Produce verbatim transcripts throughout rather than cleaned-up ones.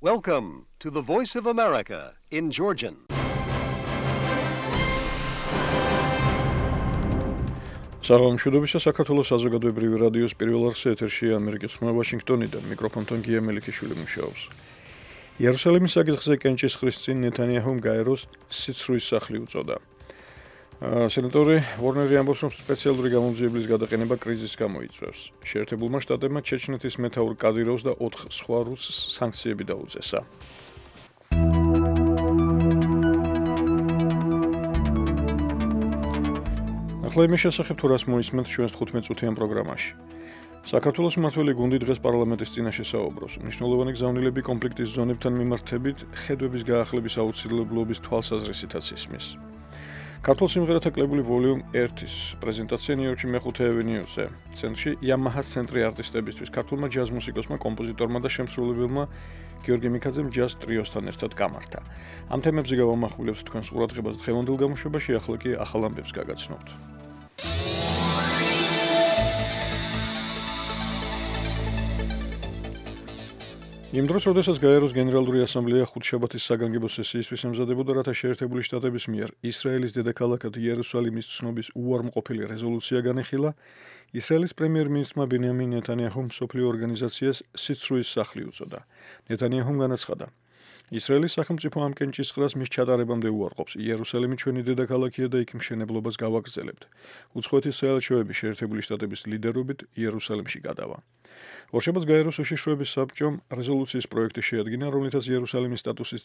Welcome to the Voice of America in Georgian. საღამოშუდობისა საქართველოს საზოგადოებრივი რადიოს პირველ არხზე ეთერში ამერიკის ხმა ვაშინგტონიდან მიკროფონთან გია მელიქიშვილი მუშაობს. იერუსალიმის საკითხზე კენჭისყრის წინ ნეთანიაჰუმ გაეროს სიცრუის სახლი უწოდა. სენატორი ვორნერი ამბობს, რომ სპეციალური გამოძიების გადაყენება კრიზისს გამოიწვევს. შეერთებულმა შტატებმა ჩეჩნეთის მეთაურ კადიროვს და ოთხ სხვა რუსს სანქციები დაუწესა. ახლა იმის შესახებ თუ რას მოისმენთ ჩვენს თხუთმეტ-წუთიან პროგრამაში. საქართველოს მმართველი გუნდი დღეს პარლამენტის წინაშე საუბრობს. მნიშვნელოვანი გზავნილები კონფლიქტის ზონებთან მიმართებით ხედვების გაახლების აუცილებლობის თვალსაზრისითაც ისმის. ქართულ სიმღერათა კლებული ვოლიუმ ერთის პრეზენტაცია ნიუ-იორკში მეხუთე ავენიუზე. ცენტრში Yamaha ცენტრი არტისტებისთვის, ქართულმა ჯაზ მუსიკოსმა, კომპოზიტორმა და შემსრულებელმა გიორგი მიქაძემ ჯაზ ტრიოსთან ერთად გამართა. ამ თემებზე გავამახვილებთ თქვენს ყურადღებას დღევანდელ გამოშვებაში, ახლა კი ახალ ამბებს გაგაცნობთ. იმ დროს, როდესაც გაეროს გენერალური ასამბლეა ხუთშაბათის საგანგებო სესიისთვის ემზადებოდა, რათა შეერთებული შტატების მიერ ისრაელის დედაქალაქად იერუსალიმის ცნობის უარმყოფილი რეზოლუცია განეხილა, ისრაელის პრემიერ-მინისტრმა ბენიამინ ნეთანიაჰუმ მსოფლიო ორგანიზაციას სიცრუის სახლი უწოდა. ნეთანიაჰუმ განაცხადა: ისრაელის სახელმწიფო ამ კენჭისყრას მის ჩატარებამდე უარყოფს. იერუსალიმი ჩვენი დედაქალაქია და იქ მშენებლობას გავაგრძელებთ. უცხოეთის საელჩოები შეერთებული შტატების ლიდერობით იერუსალიმში გადავა. ორშაბათს გაეროს უშიშროების საბჭომ რეზოლუციის პროექტი შეადგინა, რომლითაც იერუსალიმის სტატუსის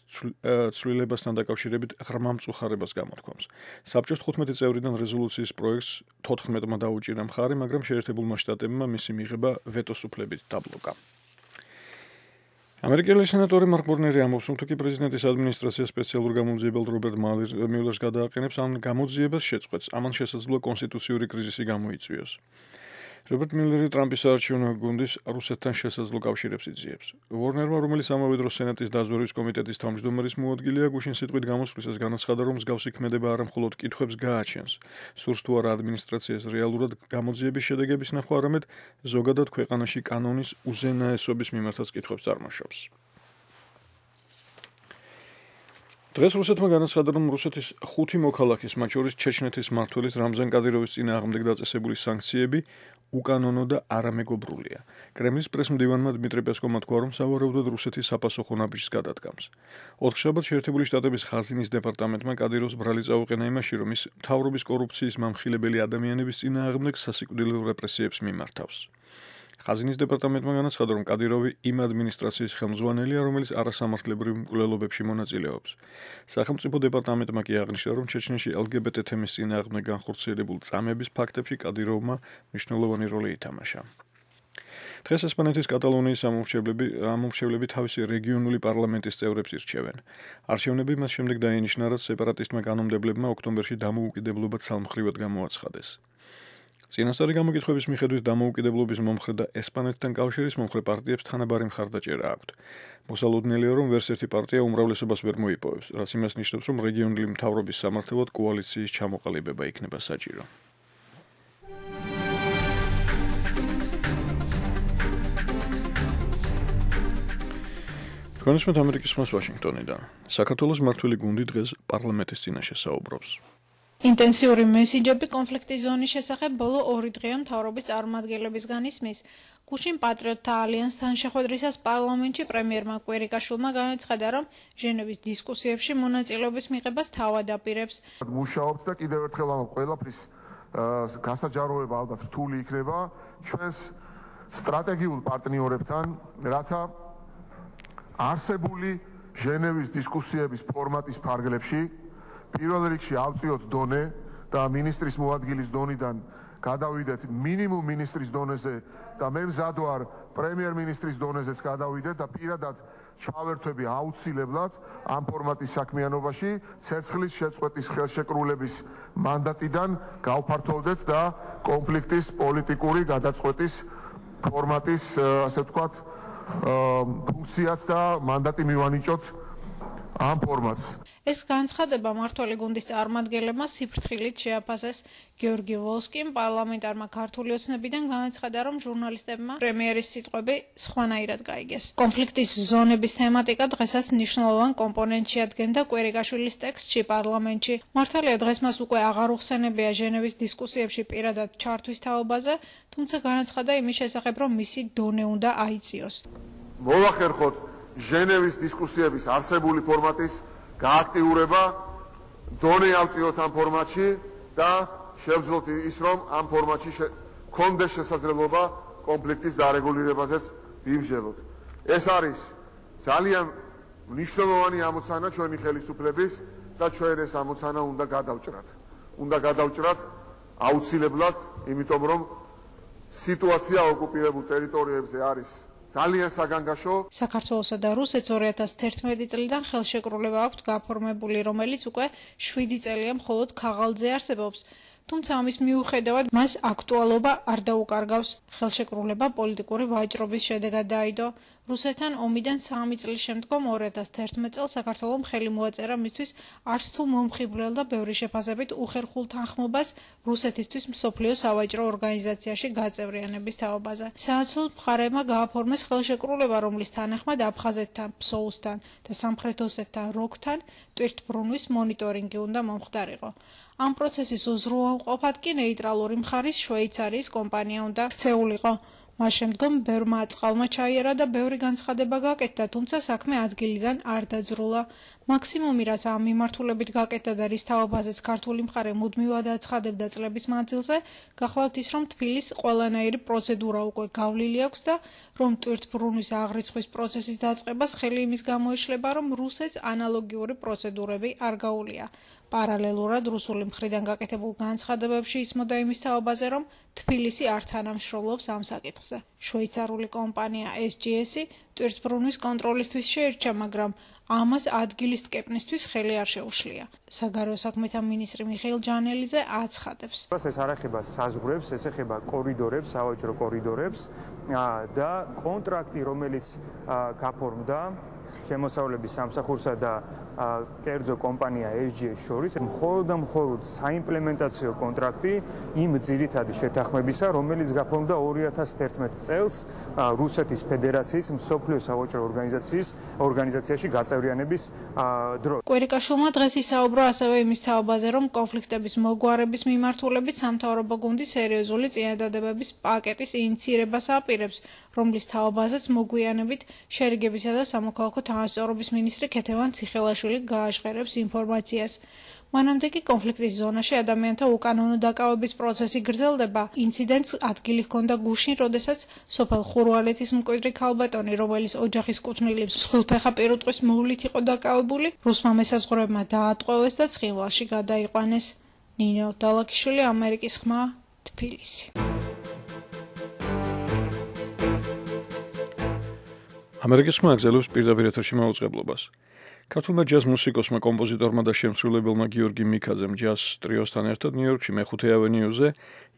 ცვლილებასთან დაკავშირებით ღრმა მწუხარებას გამოთქვამს. საბჭოს თხუთმეტი წევრიდან რეზოლუციის პროექტს თოთხმეტმა დაუჭირა მხარი, მაგრამ შეერთებულმა შტატებმა მისი მიღება ვეტოს უფლებით დაბლოკა. ამერიკელი სენატორი მარკ ვორნერი ამბობს, რომ თუკი პრეზიდენტის ადმინისტრაცია სპეციალურ გამოძიებელ რობერტ მიულერს გადააყენებს ამ გამოძიებას შეწყვეტს, ამან შესაძლოა კონსტიტუციური კრიზისი გამოიწვიოს. რობერტ მიულერი ტრამპის საარჩევნო გუნდის რუსეთთან შესაძლო კავშირებს იძიებს. ვორნერმა, რომელიც ამავე დროს სენატის დაზვერვის კომიტეტის თავმჯდომარის მოადგილეა, გუშინ სიტყვით გამოსვლისას განაცხადა, რომ მსგავსი ქმედება არა მხოლოდ კითხვებს გააჩენს, სურს თუ არა ადმინისტრაციას რეალურად გამოძიების შედეგების ნახვა, არამედ ზოგადად ქვეყანაში კანონის უზენაესობის მიმართაც კითხვებს წარმოშობს. დღეს რუსეთმა განაცხადა, რომ რუსეთის ხუთი მოქალაქის, მათ შორის ჩეჩნეთის მმართველის რამზან კადიროვის წინააღმდეგ დაწესებული სანქციები უკანონო და არამეგობრულია. კრემლის პრესმდივანმა დმიტრი პესკოვმა თქვა, რომ სავარაუდოდ რუსეთის საპასუხო ნაბიჯს გადადგამს. ოთხშაბათს შეერთებული შტატების ხაზინის დეპარტამენტმა კადიროვს ბრალი წაუყენა იმაში, რომ ის მთავრობის კორუფციის მამხილებელი ადამიანების წინააღმდეგ სასიკვდილო რეპრესიებს მიმართავს. ხაზინის დეპარტამენტმა განაცხადა, რომ კადიროვი იმ ადმინისტრაციის ხელმძღვანელია, რომელიც არასამართლებრივ მკვლელობებში მონაწილეობს. სახელმწიფო დეპარტამენტმა კი აღნიშნა, რომ ჩეჩნეთში ელ გი ბი ტი თემის წინააღმდეგ განხორციელებულ წამების ფაქტებში კადიროვმა მნიშვნელოვანი როლი ითამაშა. დღეს ესპანეთის კატალონიის ამომრჩევლები თავისი რეგიონული პარლამენტის წევრებს ირჩევენ. არჩევნები მას შემდეგ დაინიშნა, რაც სეპარატისტმა კანონმდებლებმა ოქტომბერში დამოუკიდებლობა ცალმხრივად გამოაცხადეს. წინასწარი გამოკითხვების მიხედვით დამოუკიდებლობის მომხრე და ესპანეთთან კავშირის მომხრე პარტიებს თანაბარი მხარდაჭერა აქვთ. მოსალოდნელია, რომ ვერც ერთი პარტია უმრავლესობას ვერ მოიპოვებს, რაც იმას ნიშნავს, რომ რეგიონული მთავრობის სამართლად კოალიციის ჩამოყალიბება იქნება საჭირო. თქვენ უსმენთ ამერიკის ხმას ვაშინგტონიდან. საქართველოს მმართველი გუნდი დღეს პარლამენტის წინაშე საუბრობს. ინტენსიური მესიჯები კონფლიქტის ზონის შესახებ ბოლო ორი დღეა მთავრობის წარმომადგენლებისგან ისმის. გუშინ პატრიოტთა ალიანსთან შეხვედრისას პარლამენტში პრემიერმა კვირიკაშვილმა განაცხადა, რომ ჟენევის დისკუსიებში მონაწილეობის მიღებას თავად აპირებს. მუშაობს და კიდევ ერთხელ ამ ყველაფრის გასაჯაროება ალბათ რთული იქნება ჩვენს სტრატეგიულ პარტნიორებთან, რათა არსებული ჟენევის დისკუსიების ფორმატის ფარგლებში პირველ რიგში ავწიოთ დონე და მინისტრის მოადგილის დონიდან გადავიდეთ მინიმუმ მინისტრის დონეზე და მე მზად ვარ პრემიერ-მინისტრის დონეზეც გადავიდეთ და პირადად ჩავერთვები აუცილებლად ამ ფორმატის საქმიანობაში ცეცხლის შეწყვეტის ხელშეკრულების მანდატიდან გავფართოვდეთ და კონფლიქტის პოლიტიკური გადაწყვეტის ფორმატის ასე ვთქვათ ფუნქციაც და მანდატი მივანიჭოთ ამ ფორმატს. ეს განცხადება მმართველი გუნდის წარმომადგენლებმა სიფრთხილით შეაფასეს. გიორგი ვოლსკიმ პარლამენტარმა ქართული ოცნებიდან განაცხადა, რომ ჟურნალისტებმა პრემიერის სიტყვები სხვანაირად გაიგეს. კონფლიქტის ზონების თემატიკა დღესაც მნიშვნელოვან კომპონენტში ადგენდა კვერიკაშვილის ტექსტში პარლამენტში. მართალია დღეს მას უკვე აღარ უხსენებია ჟენევის დისკუსიებში პირადად ჩართვის თაობაზე, თუმცა განაცხადა იმის შესახებ, რომ მისი დონე უნდა აიწიოს. მოვახერხოთ ჟენევის დისკუსიების არსებული ფორმატის გააქტიურება, დონე ავწიოთ ამ ფორმატში და შევძლოთ ის, რომ ამ ფორმატში გქონდეს შესაძლებლობა კონფლიქტის დარეგულირებაზეც ვიმსჯელოთ. ეს არის ძალიან მნიშვნელოვანი ამოცანა ჩვენი ხელისუფლების და ჩვენ ეს ამოცანა უნდა გადავჭრათ. უნდა გადავჭრათ აუცილებლად, იმიტომ რომ სიტუაცია ოკუპირებულ ტერიტორიებზე არის ძალიან საგანგაშო. საქართველოსა და რუსეთს ორი ათას თერთმეტი წლიდან ხელშეკრულება აქვთ გაფორმებული, რომელიც უკვე შვიდი წელია მხოლოდ ქაღალდზე არსებობს. თუმცა ამის მიუხედავად მას აქტუალობა არ დაუკარგავს. ხელშეკრულება პოლიტიკური ვაჭრობის შედეგად დაიდო. რუსეთთან ომიდან სამი წლის შემდგომ ორი ათას თერთმეტ წელს საქართველომ ხელი მოაწერა მისთვის არც თუ მომხიბვლელ და ბევრი შეფასებით უხერხულ თანხმობას რუსეთისთვის მსოფლიო სავაჭრო ორგანიზაციაში გაწევრიანების თაობაზე. საოცრად მხარეებმა გააფორმეს ხელშეკრულება, რომლის თანახმად აფხაზეთთან, ფსოუსთან და სამხრეთ ოსეთთან როგთან ტვირთბრუნვის მონიტორინგი უნდა მომხდარიყო. ამ პროცესის უზრუნველყოფად კი ნეიტრალური მხარის შვეიცარიის კომპანია უნდა ქცეულიყო. მას შემდგომ ბევრმა აწყალმა ჩაიარა და ბევრი განცხადება გაკეთდა, თუმცა საქმე ადგილიდან არ დაძრულა. მაქსიმუმი, რაც ამ მიმართულებით გაკეთდა და რის თაობაზეც ქართული მხარე მუდმივად აცხადებდა წლების მანძილზე, გახლავთ ის, რომ თბილის ყველანაირი პროცედურა უკვე გავლილი აქვს და რომ ტვირთბრუნვის აღრიცხვის პროცესის დაწყებას ხელი იმის გამოიშლება, რომ რუსეთს ანალოგიური პროცედურები არ გაუვლია. პარალელურად რუსული მხრიდან გაკეთებულ განცხადებებში ისმოდა იმის თაობაზე, რომ თბილისი არ თანამშრომლობს ამ საკითხზე. შვეიცარიული კომპანია ეს ჯი ესი ტვირთბრუნვის კონტროლისთვის შეირჩა, მაგრამ ამას ადგილის ტკეპნისთვის ხელი არ შეუშლია. საგარეო საქმეთა მინისტრი მიხეილ ჯანელიძე აცხადებს. ეს არ ეხება საზღვრებს, ეს ეხება კორიდორებს, სავაჭრო კორიდორებს და კონტრაქტი, რომელიც გაფორმდა შემოსავლების სამსახურსა და კერძო კომპანია ეს ჯი ესი შორის, მხოლოდ და მხოლოდ საიმპლემენტაციო კონტრაქტი იმ ძირითადი შეთანხმებისა, რომელიც გაფორმდა ორი ათას თერთმეტ წელს რუსეთის ფედერაციის მსოფლიო სავაჭრო ორგანიზაციის ორგანიზაციაში გაწევრიანების დროს. კვერიკაშვილმა დღეს ისაუბრა ასევე იმის თაობაზე, რომ კონფლიქტების მოგვარების მიმართულებით სამთავრობო გუნდი სერიოზული წინადადებების პაკეტის ინიციირებას აპირებს, რომლის თაობაზეც მოგვიანებით შერიგებისა და სამოქალაქო თანასწორობის მინისტრი ქეთევან ციხელაშვილი გააშხერებს ინფორმაციას. მანამდე კი კონფლიქტის ზონაში ადამიანთა უკანონო დაკავების პროცესი გრძელდება. ინციდენტს ადგილი ჰქონდა გუშინ, როდესაც სოფელ ხურვალეთის მკვიდრი ქალბატონი, რომელიც ოჯახის კუთვნილი მსხვილფეხა პირუტყვის მოვლით იყო დაკავებული, რუსმა მესაზღვრეებმა დაატყვევეს და ცხინვალში გადაიყვანეს. ნინო დალაქიშვილი, ამერიკის ხმა, თბილისი. ამერიკის ხმა აგზელებს პირდაპირ ეთერში მაუწყებლობას. ქართულმა ჯაზ მუსიკოსმა, კომპოზიტორმა და შემსრულებელმა გიორგი მიქაძემ ჯაზ ტრიოსთან ერთად ნიუ-იორკში მეხუთე ავენიუზე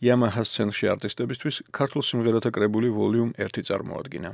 Yamaha სცენაში არტისტებისთვის ქართულ სიმღერათა კრებული ვოლიუმ ერთი წარმოადგინა.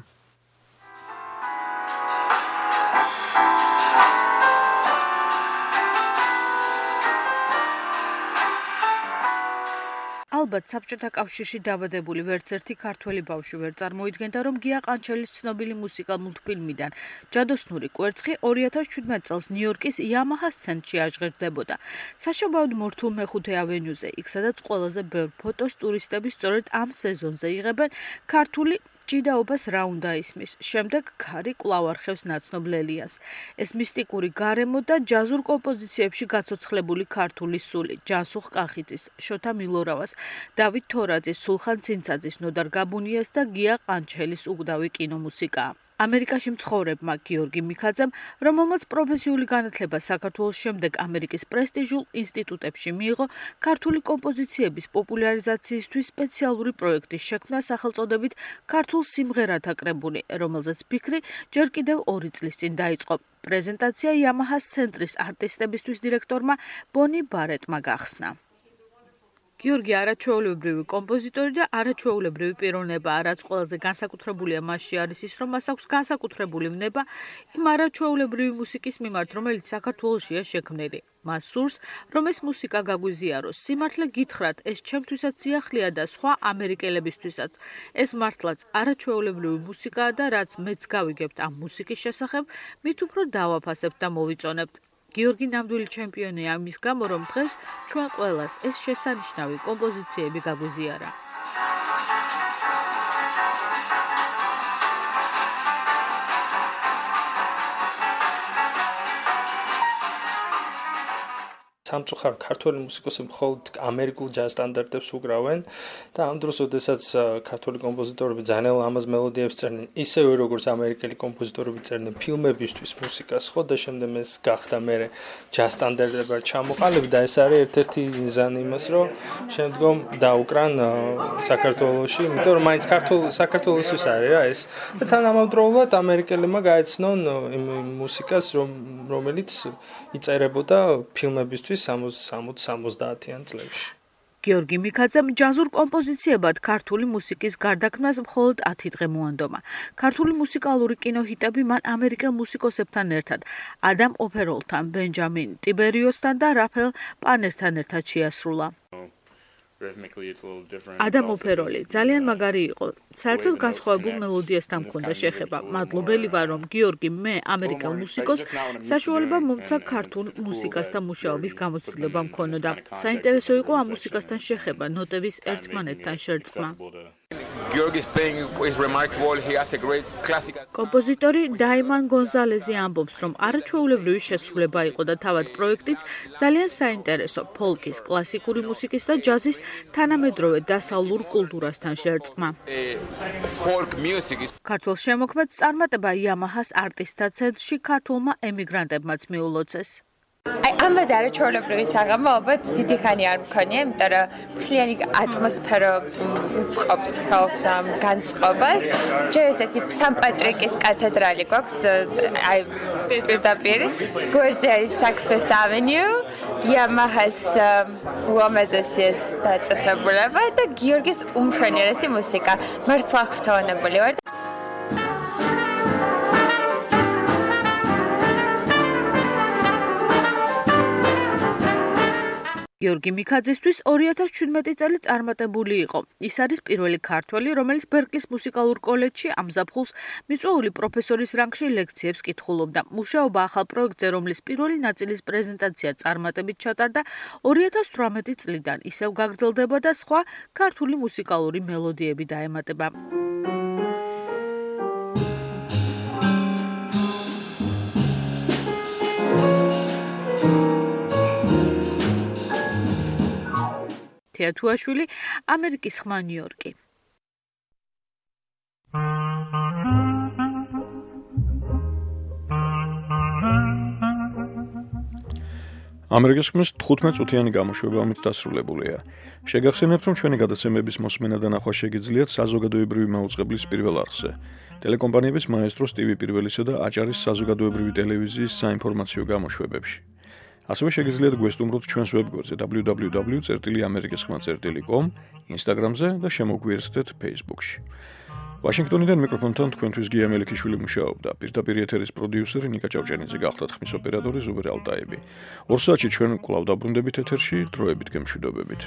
ალბათ საბჭოთა კავშირში დაბადებული ვერც ერთი ქართველი ბავშვი ვერ წარმოიდგენდა, რომ გია ყანჩელის ცნობილი მუსიკალ მულტფილმიდან ჯადოსნური კვერცხი ორი ათას შვიდმეტ წელს ნიუ-იორკის Yamaha სცენაში აღჟღერდებოდა. საშობაოდ მორთულ მეხუთე ავენიუზე, იქ სადაც ყველაზე ბევრ ფოტოს ტურისტები სწორედ ამ სეზონზე იღებენ, ქართული ჭიდაობას რა უნდა ისმის. შემდეგ ქარი კვლავ არხევს ნაცნობ ლელიას. ეს მისტიკური გარემო და ჯაზურ კომპოზიციებში გაცოცხლებული ქართული სული, ჯანსუღ კახიძის, შოთა მილორავას, დავით თორაძის, სულხან ცინცაძის, ნოდარ გაბუნიას და გია ყანჩელის უგდავი კინომუსიკაა. ამერიკაში მცხოვრებმა გიორგი მიქაძემ, რომელმაც პროფესიული განათლება საქართველოს შემდეგ ამერიკის პრესტიჟულ ინსტიტუტებში მიიღო, ქართული კომპოზიციების პოპულარიზაციისთვის სპეციალური პროექტის შექმნა სახელწოდებით ქართულ სიმღერათა კრებული, რომელზეც ფიქრი ჯერ კიდევ ორი წლის წინ დაიწყო. პრეზენტაცია Yamaha-ს ცენტრის არტისტებისთვის დირექტორმა ბონი ბარეტმა გახსნა. გიორგი არაჩვეულებრივი კომპოზიტორი და არაჩვეულებრივი პიროვნებაა, რაც ყველაზე განსაკუთრებულია მასში არის ის, რომ მას აქვს განსაკუთრებული ვნება იმ არაჩვეულებრივი მუსიკის მიმართ, რომელიც საქართველოშია შექმნილი. მას სურს, რომ ეს მუსიკა გაგვიზიაროს. სიმართლე გითხრათ, ეს ჩემთვისაც სიახლეა და სხვა ამერიკელებისთვისაც. ეს მართლაც არაჩვეულებრივი მუსიკაა და რაც მეც გავიგებთ ამ მუსიკის შესახებ, მით უფრო დავაფასებთ და მოვიწონებთ. გიორგი ნამდვილი ჩემპიონია ამის გამო, რომ დღეს ჩვენ ყველას ეს შესანიშნავი კომპოზიციები გაგვიზიარა. სამწუხაროდ ქართული მუსიკოსები მხოლოდ ამერიკულ ჯაზ სტანდარტებს უკრავენ და ამ დროს, როდესაც ქართული კომპოზიტორები ძალიან ლამაზ მელოდიებს წერდნენ, ისევე როგორც ამერიკელი კომპოზიტორები წერდნენ ფილმებისთვის მუსიკას, ხო და შემდეგ ეს გახდა მე ჯაზ სტანდარტებად ჩამოყალიბდა და ეს არის ერთ-ერთი მიზანი იმას, რომ შემდგომ დაუკრან საქართველოში, იმიტომ რომ მაინც ქართულ საქართველოსთვის არის რა ეს და თანამედროვეულად ამერიკელებმა გაეცნონ იმ მუსიკას, რომელიც იწერებოდა ფილმებისთვის სამოცდაათიან წლებში. გიორგი მიქაძემ ჯაზურ კომპოზიციებად ქართული მუსიკის გარდაქმნას მხოლოდ ათი დღე მოანდომა. ქართული მუსიკალური კინოჰიტები მან ამერიკელ მუსიკოსებთან ერთად, ადამ ოფეროლთან, ბენჯამინ ტიბერიოსთან და რაფაელ პანერთან ერთად შეასრულა. ადამ ოფეროლი ძალიან მაგარი იყო. საერთოდ განსხვავებულ მელოდიასთან მქონდა შეხება. მადლობელი ვარ, რომ გიორგი მე ამერიკელ მუსიკოსს საშუალება მომცა ქართულ მუსიკასთან მუშაობის გამოცდილება მქონოდა. საინტერესო იყო ამ მუსიკასთან შეხება, ნოტების ერთმანეთთან შერწყმა. კომპოზიტორი დაიმან გონზალეზი ამბობს, რომ არაჩვეულებრივი შესრულება იყო და თავად პროექტიც ძალიან საინტერესო ფოლკის, კლასიკური მუსიკის და ჯაზის თანამედროვე დასავლურ კულტურასთან შერწყმა. ქართულ შემოქმედს წარმატება იამაჰას არტისტთა ცენტრში ქართულმა ემიგრანტებმაც მიულოცეს. აი ამაზე არაჩვეულებრივი საღამო ალბათ დიდი ხანი არ მქონია, იმიტომ რომ მთლიანი ატმოსფერო უწყობს ხელს ამ განწყობას. ჯერ ესეთი სან-პატრიკის კათედრალი გვაქვს, აი პირდაპირ გვერდზე არის Saks Fifth Avenue, Yamaha's უამაზესი ეს დაწესებულება და გიორგის უმშვენიერესი მუსიკა. მართლა ღვთაონებული ვარ. გიორგი მიქაძისთვის ორი ათას ჩვიდმეტი წელი წარმატებული იყო. ის არის პირველი ქართველი, რომელიც ბერკლის მუსიკალურ კოლეჯში ამ ზაფხულს მიწვეული პროფესორის რანგში ლექციებს კითხულობდა. მუშაობა ახალ პროექტზე, რომლის პირველი ნაწილის პრეზენტაცია წარმატებით ჩატარდა ორი ათას თვრამეტი წლიდან, ისევ გაგრძელდება და სხვა ქართული მუსიკალური მელოდიები დაემატება. თეათუაშვილი, ამერიკის ხმა ნიუ-იორკი. ამერიკის ხმის თხუთმეტ წუთიანი გამოშვება ამით დასრულებულია. შეგახსენებთ, რომ ჩვენი გადაცემების მოსმენა და ნახვა შეგიძლიათ საზოგადოებრივი მაუწყებლის პირველ არხზე. ტელეკომპანიების მაესტროს ტივი პირველისა და აჭარის საზოგადოებრივი ტელევიზიის საინფორმაციო გამოშვებებში. ასევე შეგიძლიათ გვესტუმროთ ჩვენს ვებგვერდზე დაბლიუ დაბლიუ დაბლიუ წერტილი ამერიკის ხმა წერტილი კომ, ინსტაგრამზე და შემოგვიერთდეთ ფეისბუქში. ვაშინგტონიდან მიკროფონთან თქვენთვის გია მელიქიშვილი მუშაობდა. პირდაპირ ეთერის პროდიუსერი ნიკა ჭავჭანიძე გახდათ, ხმის ოპერატორი ზუბერ ალტაები. ორ საათში ჩვენ კვლავ დაბრუნდებით ეთერში, დროებით გემშვიდობებით.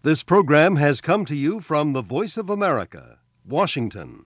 This program has come to you from the Voice of America, Washington.